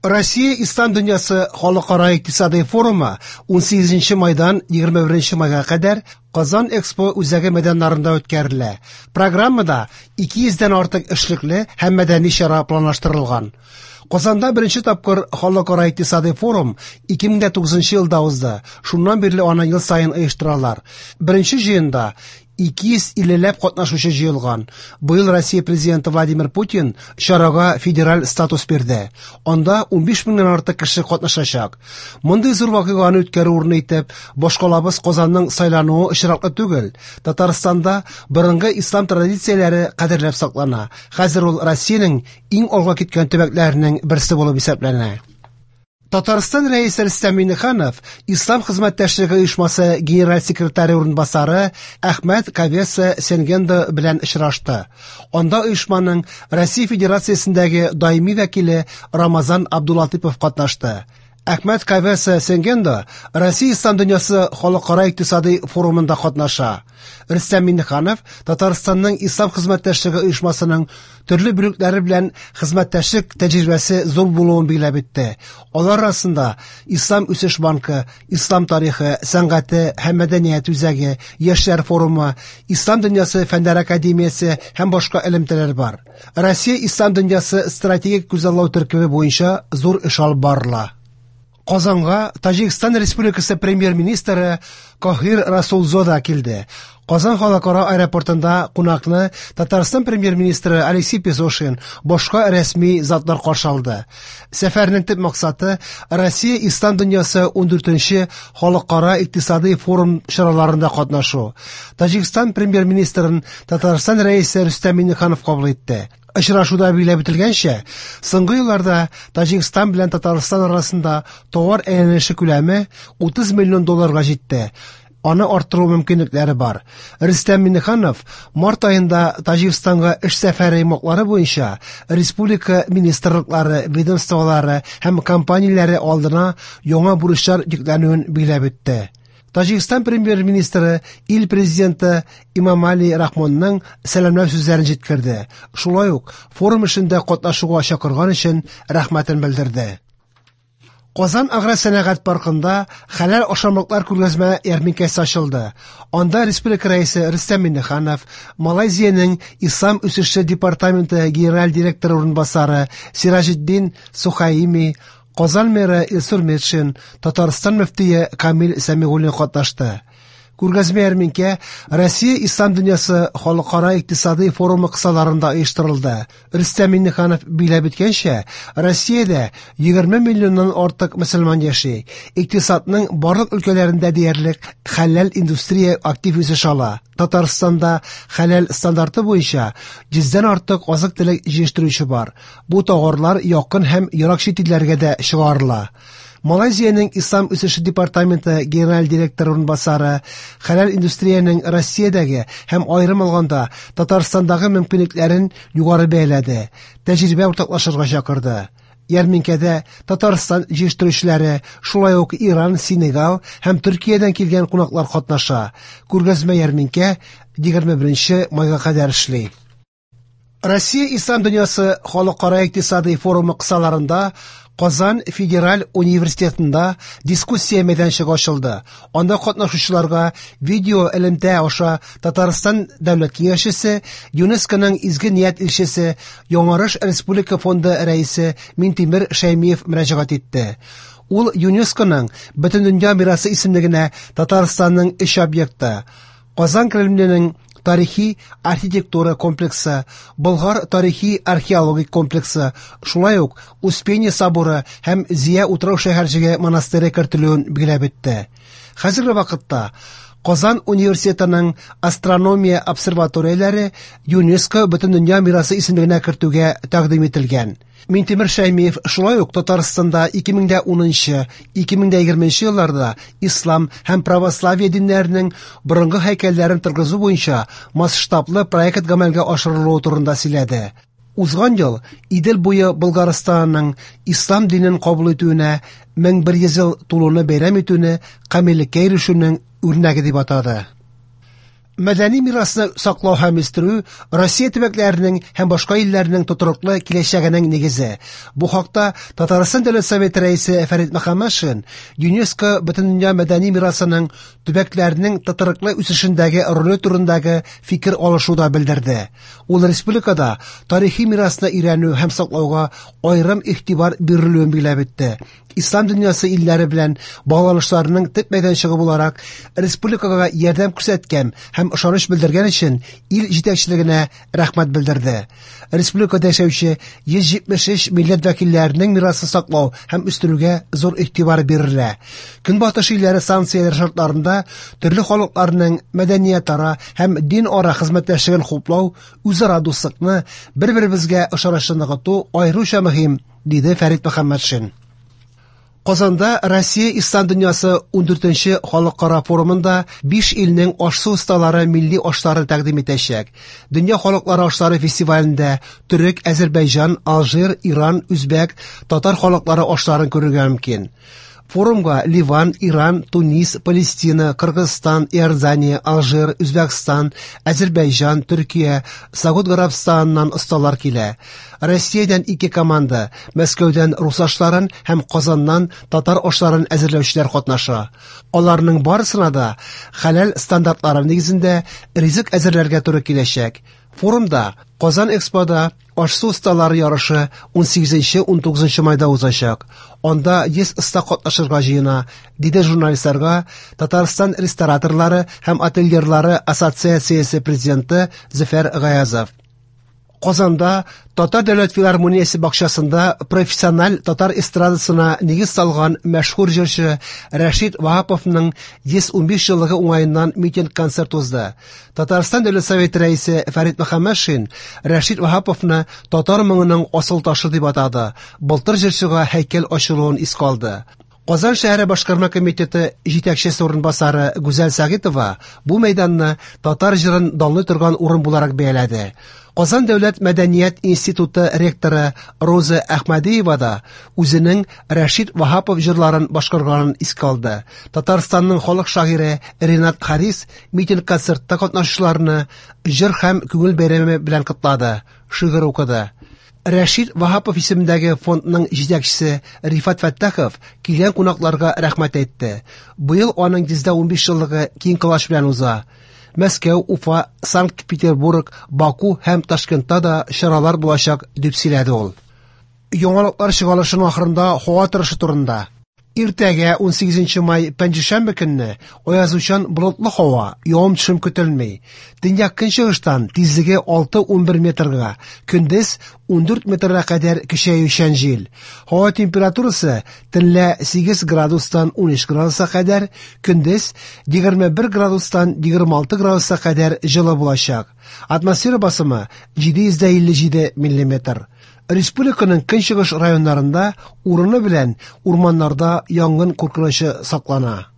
Россия Ислам дөньясы халыкара икътисадый форумы 18 майдан 21 майга кадәр Казан Экспо үзәге мәйданнарында үткәрелә. Программада 200 дән артык эшлекле һәм мәдәни чара планлаштырылган. Казанда беренче тапкыр халыкара икътисадый форум 2009 елда узды. Шуннан бирле аны ел саен оештыралар. Беренче җыенда 250 ләп катнашучы җыелган. Быел Россия президенты Владимир Путин чарага федераль статус бирде. Анда 15 меңнән артык кеше катнашачак. Мондый зур вакыйганы үткәрү урыны итеп башкалабыз Казанның сайлануы очраклы түгел. Татарстанда борынгы ислам традицияләре кадерләп саклана. Хәзер ул Россиянең иң алга киткән төбәкләренең берсе булып исәпләнә. Татарстан Рәисе Рөстәм Миңнеханов Ислам хезмәттәшлеге оешмасы генераль секретаре урынбасары Әхмәт Кавеса Сенгендо белән очрашты. Анда оешманың Россия Федерациясендәге даими вәкиле Рамазан Абдулатипов катнашты. Әхмәт Кавеса Сенгендо Россия Ислам дөньясы халыкара икътисадый форумында катнаша. Рөстәм Миңнеханов Татарстанның Ислам хезмәттәшлеге оешмасының төрле бүлекләре белән хезмәттәшлек тәҗрибәсе зур булуын билгеләп үтте. Алар арасында Ислам үсеш банкы, Ислам тарихы, сәнгате һәм мәдәният үзәге, Яшьләр форумы, Ислам дөньясы фәннәр академиясе һәм башка элемтәләр бар. Россия Ислам дөньясы стратегик күзаллау төркеме буенча зур эш алып барыла. Казанга Таҗикстан Республикасы премьер-министры Кохир Расулзода килде. Казан халыкара аэропортында кунакны Татарстан премьер-министры Алексей Песошин, башка рәсми затлар каршы алды. Сәфәрнең төп максаты Россия Ислам дөньясы 14нче халыкара икътисадый форум чараларында катнашу. Таҗикстан премьер-министрын Татарстан рәисе Рөстәм Миңнеханов кабул итте. Очрашуда билгеләп үтелгәнчә, соңгы елларда Таҗикстан белән Татарстан арасында товар әйләнеше күләме 30 миллион долларга җитте. Аны арттыру мөмкинлекләре бар. Рөстәм Миңнеханов март аенда Таҗикстанга эш сәфәре йомгаклары буенча республика министрлыклары, ведомстволары һәм компанияләре алдына яңа бурычлар йөкләнүен билгеләп үтте. Таҗикстан премьер-министры ил президенты Имамали Рахмонның сәламләү сүзләрен җиткерде. Шулай ук форум эшендә катнашуга чакырган өчен рәхмәтен белдерде. Казан агросәнәгать паркында хәләл ашамлыклар күргәзмә ярминкәсе ачылды. Анда республика рәисе Рөстәм Миңнеханов, Малайзиянең Ислам үсеше департаменты генераль директоры урынбасары Сираҗетдин Сухаими, Казан мэры Илсур Метшин, Татарстан мөфтие Камил Сәмигуллин катнашты. Күргәзмә ярминкә Россия Ислам дөньясы халыкара икътисадый форумы кысаларында оештырылды. Рөстәм Миңнеханов билгеләп үткәнчә, Россиядә 20 миллионнан артык мөселман яши. Икътисадның барлык өлкәләрендә диярлек хәләл индустрия актив үсеш ала. Татарстанда хәләл стандарты буенча 100дән артык азык-төлек җитештерүче бар. Бу товарлар якын һәм ерак чит илләргә дә чыгарыла. Малайзиянең Ислам үсеше департаменты генераль директоры урынбасары хәләл индустриянең Россиядәге һәм аерым алганда Татарстандагы мөмкинлекләрен югары бәяләде, тәҗрибә уртаклашырга чакырды. Ярминкәдә Татарстан җитештерүчеләре, шулай ук Иран, Сенегал һәм Төркиядән килгән кунаклар катнаша. Күргәзмә ярминкә 21 майга кадәр эшли. Россия Ислам дөньясы халыкара икътисадый форумы кысаларында Казан федераль университетында дискуссия мәйданчыгы ачылды. Анда катнашучыларга видео элемтә аша Татарстан дәүләт киңәшчесе, ЮНЕСКОның изге ният илчесе, Яңарыш республика фонды рәисе Минтимер Шәймиев мөрәҗәгать итте. Ул ЮНЕСКОның Бөтендөнья мирасы исемлегенә Татарстанның өч объекты Казан Кремленең тарихи архитектура комплексы, Болгар тарихи археологик комплексы, шулай ук Успение соборы һәм Зия утрау шәһәрчеге монастыре кертелүен билгеләп үтте. Хәзерге вакытта Казан университетының астрономия обсерваторияләре ЮНЕСКО Бөтендөнья мирасы исемлегенә кертүгә тәкъдим ителгән. Минтимер Шәймиев шулай ук Татарстанда 2010-2020 елларда ислам һәм православие диннәренең борынгы һәйкәлләрен торгызу буенча масштаблы проект гамәлгә ашырылуы турында сөйләде. Узган ел Идел буе Болгарстанның ислам динен кабул итүенә 1100 ел тулуны бәйрәм итүне камиллеккә ирешүнең үрнәге дип атады. Мәдәни мирасны саклау һәм үстерү Россия төбәкләренең һәм башка илләрнең тотрыклы киләчәгенең нигезе. Бу хакта Татарстан Дәүләт Советы рәисе Фәрит Мөхәммәтшин ЮНЕСКО Бөтендөнья мәдәни мирасының төбәкләрнең тотрыклы үсешендәге роле турындагы фикер алышуда белдерде. Ул республикада тарихи мирасны өйрәнү һәм саклауга аерым игътибар бирелүен билгеләп үтте. Ислам дөньясы илләре белән багланышларының төп мәйданчыгы буларак республикага ярдәм күрсәткән һәм ышаныч белдергән өчен ил җитәкчелегенә рәхмәт белдерде. Республикада яшәүче 173 милләт вәкилләренең мирасын саклау һәм үстерүгә зур игътибар бирелә. Көнбатыш илләре санкцияләр шартларында төрле халыкларның мәдәниятара һәм дин-ара хезмәттәшлеген хуплау, үзара дуслыкны, бер-беребезгә ышанычны ныгыту аеруча мөһим, диде Фәрит Мөхәммәтшин. Казанда Россия Ислам дөньясы 14нче халыкара форумында 5 илнең аш-су осталары милли ашларын тәкъдим итәчәк. Дөнья халыклары ашлары фестивалендә төрек, Әзербайҗан, Алжир, Иран, үзбәк, татар халыклары ашларын күрергә мөмкин. Форумга Ливан, Иран, Тунис, Палестина, Кыргызстан, Иордания, Алжир, Үзбәкстан, Әзербайҗан, Төркия, Сауд Гарәбстаныннан осталар килә. Россиядән ике команда, Мәскәүдән рус ашларын һәм Казаннан татар ашларын әзерләүчеләр катнаша. Аларның барысына да хәләл стандартлары нигезендә ризык әзерләргә туры киләчәк. Форумда Казан Экспода аш-су осталары ярышы 18-19 майда узачак. Анда 100 оста катнашырга җыена, диде журналистларга Татарстан рестораторлары һәм отельерлары ассоциациясе президенты Зөфәр Гаязов. Казанда Татар дәүләт филармониясе бакчасында профессиональ татар эстрадасына нигез салган мәшһүр җырчы Рәшит Ваһаповның 115 еллыгы уңаеннан митинг-концерт узды. Татарстан Дәүләт Советы рәисе Фәрит Мөхәммәтшин Рәшит Ваһаповны татар моңының асыл ташы дип атады. Былтыр җырчыга һәйкәл ачылуын искә алды. Казан шәһәре башкарма комитеты җитәкчесе урынбасары Гүзәл Сәгыйтова бу мәйданны татар җырын данлый торган урын буларак бәяләде. Казан дәүләт мәдәният институты ректоры Роза Әхмәдиева да үзенең Рәшит Ваһапов җырларын башкарганын искә алды. Татарстанның халык шагыйре Ренат Харис митинг-концертта катнашучыларны җыр һәм күңел бәйрәме белән котлады, шигырь укыды. Рәшит Ваһапов исемендәге фондның җитәкчесе Рифат Фәттахов килгән кунакларга рәхмәт әйтте. Быел аның 115 еллыгы киң колач белән уза. Мәскәү, Уфа, Санкт-Петербург, Баку һәм Ташкентта да чаралар булачак, дип сөйләде ул. Яңалыклар чыгарылышының ахырында һава торышы турында. Иртәгә 18 май пәнҗешәмбе көнне аязучан болытлы һава, явым-төшем көтелми. Төньяк көнчыгыштан тизлеге 6-11 метрга, көндез 14 метрга кадәр көчәючән җил. Һава температурасы төнлә 8 градустан 13 градуска кадәр, көндез 21 градустан 26 градуска кадәр җылы булачак. Атмосфера басымы 757 миллиметр. Республиканың көнчыгыш районнарында урыны белән урманнарда янгын куркынычы саклана.